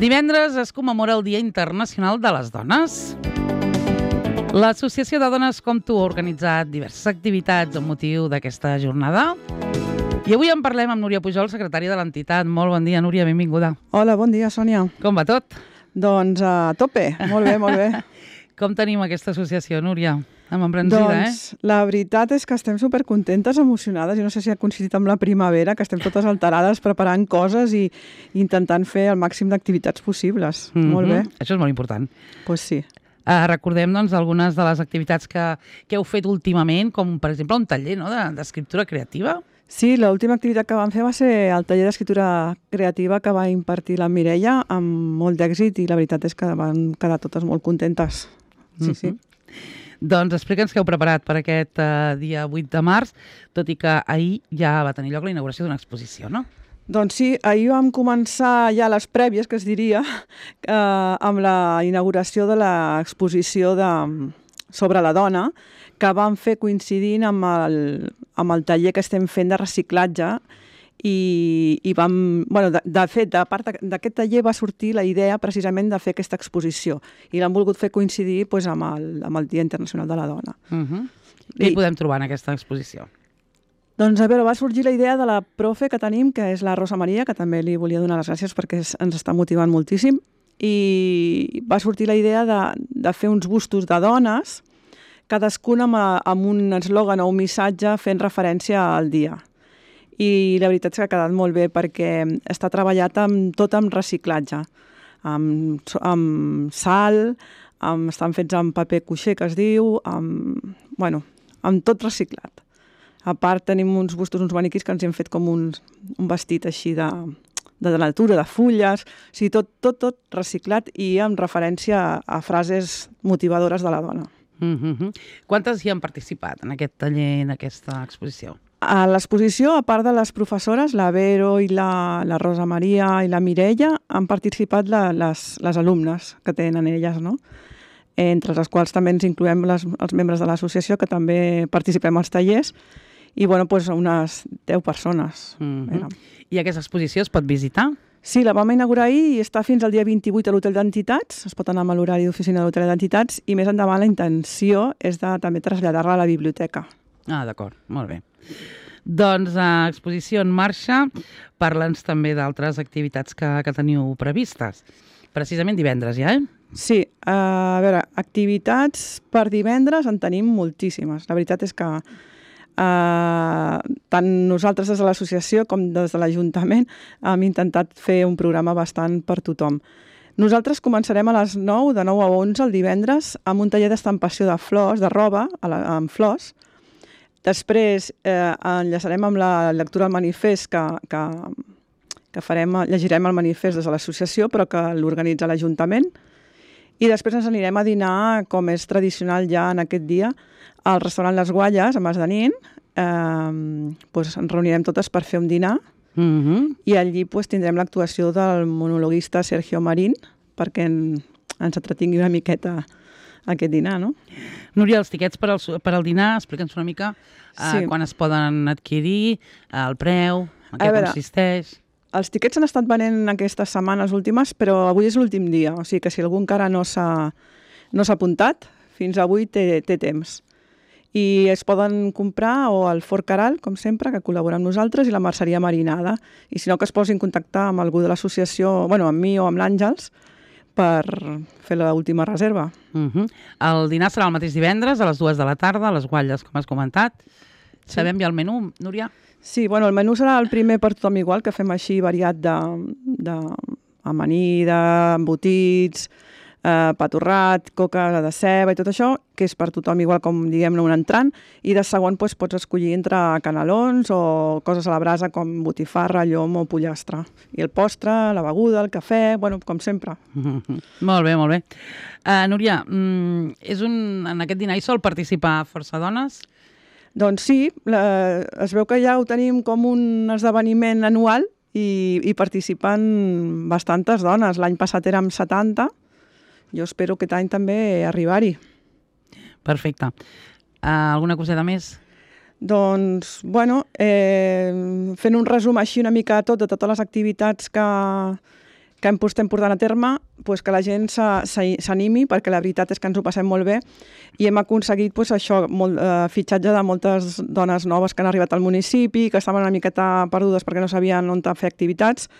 Divendres es commemora el Dia Internacional de les Dones. L'Associació de Dones com tu ha organitzat diverses activitats amb motiu d'aquesta jornada. I avui en parlem amb Núria Pujol, secretària de l'entitat. Molt bon dia, Núria, benvinguda. Hola, bon dia, Sònia. Com va tot? Doncs a tope, molt bé, molt bé. Com tenim aquesta associació, Núria? Amb embranzida, La veritat és que estem supercontentes, emocionades, i no sé si ha coincidit amb la primavera, que estem totes alterades preparant coses i intentant fer el màxim d'activitats possibles. Molt bé. Això és molt important. Pues sí. Recordem doncs, algunes de les activitats que heu fet últimament, com per exemple un taller d'escriptura creativa. Sí, l'última activitat que vam fer va ser el taller d'escriptura creativa que va impartir la Mireia amb molt d'èxit i la veritat és que van quedar totes molt contentes. Sí, sí. Doncs explica'ns què heu preparat per aquest dia 8 de març, tot i que ahir ja va tenir lloc la inauguració d'una exposició, no? Doncs sí, ahir vam començar ja les prèvies, que es diria, amb la inauguració de l'exposició sobre la dona, que vam fer coincidint amb el taller que estem fent de reciclatge. I vam, de fet, a part d'aquest taller va sortir la idea precisament de fer aquesta exposició i l'han volgut fer coincidir amb el Dia Internacional de la Dona. Què hi podem trobar en aquesta exposició? Doncs a veure, va sorgir la idea de la profe que tenim, que és la Rosa Maria, que també li volia donar les gràcies perquè ens està motivant moltíssim, i va sortir la idea de fer uns bustos de dones, cadascuna amb un eslògan o un missatge fent referència al dia. I la veritat és que ha quedat molt bé perquè està treballat tot amb reciclatge, amb sal, estan fets amb paper cuixé, que es diu, amb tot reciclat. A part tenim uns bustos, uns maniquís que ens hem fet com un vestit així de natura, de fulles, o sigui, tot reciclat i amb referència a frases motivadores de la dona. Quantes hi han participat en aquest taller, en aquesta exposició? A l'exposició, a part de les professores, la Vero i la Rosa Maria i la Mireia, han participat les alumnes que tenen elles, no? Entre les quals també ens incloem els membres de l'associació, que també participem als tallers, i unes 10 persones. I aquesta exposició es pot visitar? Sí, la vam inaugurar ahir i està fins al dia 28 a l'Hotel d'Entitats. Es pot anar amb l'horari d'oficina de l'Hotel d'Entitats i més endavant la intenció és de també traslladar-la a la biblioteca. Ah, d'acord, molt bé. Doncs exposició en marxa, parla'ns també d'altres activitats que teniu previstes. Precisament divendres ja, Sí, a veure, activitats per divendres en tenim moltíssimes. La veritat és que tant nosaltres des de l'associació com des de l'Ajuntament hem intentat fer un programa bastant per tothom. Nosaltres començarem a les 9, de 9 a 11 el divendres, amb un taller d'estampació de flors, de roba, amb flors. Després enllaçarem amb la lectura del manifest que farem, llegirem el manifest des de l'associació, però que l'organitza l'Ajuntament. I després ens anirem a dinar, com és tradicional ja en aquest dia, al restaurant Les Gualles, a Mas de Nin. Ens reunirem totes per fer un dinar i allí tindrem l'actuació del monologuista Sergio Marín perquè ens entretingui una miqueta aquest dinar, no? Núria, els tiquets per al dinar, explica'ns una mica quan es poden adquirir, el preu, en què consisteix. Els tiquets s'han estat venent aquestes setmanes últimes, però avui és l'últim dia, o sigui que si algú encara no s'ha apuntat, fins avui té temps. I es poden comprar o al Fort Caral, com sempre, que col·labora amb nosaltres, i la Merceria Marinada. I si no, que es posi en contacte amb algú de l'associació, amb mi o amb l'Àngels, per fer l'última reserva. El dinar serà el mateix divendres, a les 2 de la tarda, a les Gualles, com has comentat. Sabem ja el menú, Núria? Sí, el menú serà el primer per tothom igual, que fem així variat d'amanida, embotits, pa torrat, coca de ceba i tot això, que és per tothom igual com, diguem-ne, un entrant, i de segon pots escollir entre canelons o coses a la brasa com botifarra, llom o pollastre. I el postre, la beguda, el cafè, com sempre. Molt bé, molt bé. Núria, en aquest dinar hi sol participar força dones? Doncs sí, es veu que ja ho tenim com un esdeveniment anual i participen bastantes dones. L'any passat érem 70, jo espero aquest any també arribar-hi. Perfecte. Alguna coseta més? Doncs, fent un resum així una mica de totes les activitats que estem portant a terme, doncs que la gent s'animi, perquè la veritat és que ens ho passem molt bé i hem aconseguit això, fitxatge de moltes dones noves que han arribat al municipi, que estaven una miqueta perdudes perquè no sabien on fer activitats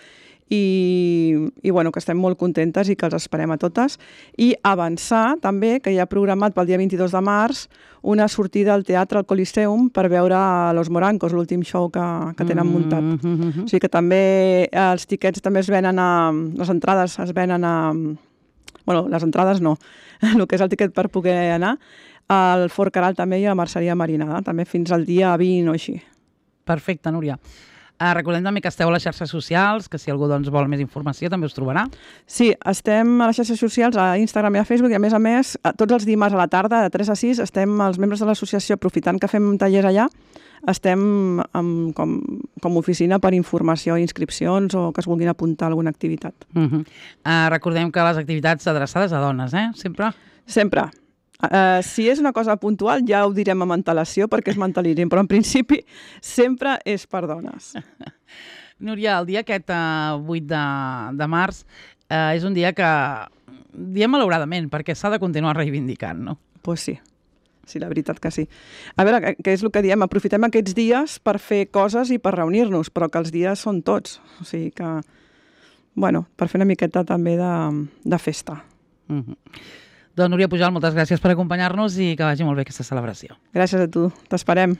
i bueno, que estem molt contentes i que els esperem a totes. I avançar també que hi ha programat pel dia 22 de març una sortida al teatre al Coliseum per veure Los Morancos, l'últim show que tenen muntat. O sigui que també els tiquets també es venen les entrades es venen bueno, les entrades no, el que és el tiquet per poder anar, al Fort Caral també i a la Merceria Marinada, també fins al dia 20 o així. Perfecte, Núria. Recordem també que esteu a les xarxes socials, que si algú vol més informació també us trobarà. Sí, estem a les xarxes socials, a Instagram i a Facebook, i a més, tots els dimarts a la tarda, de 3 a 6, estem els membres de l'associació, aprofitant que fem tallers allà, estem com oficina per informació i inscripcions o que es vulguin apuntar a alguna activitat. Recordem que les activitats adreçades a dones, sempre? Sempre. Si és una cosa puntual ja ho direm amb antelació perquè es mentalitzin, però en principi sempre és per dones. Núria, el dia aquest 8 de març és un dia que diem malauradament perquè s'ha de continuar reivindicant, no? Doncs sí, la veritat que sí. A veure, què és el que diem? Aprofitem aquests dies per fer coses i per reunir-nos, però que els dies són tots. O sigui que, bueno, per fer una miqueta també de festa. Doncs Núria Pujol, moltes gràcies per acompanyar-nos i que vagi molt bé aquesta celebració. Gràcies a tu, t'esperem.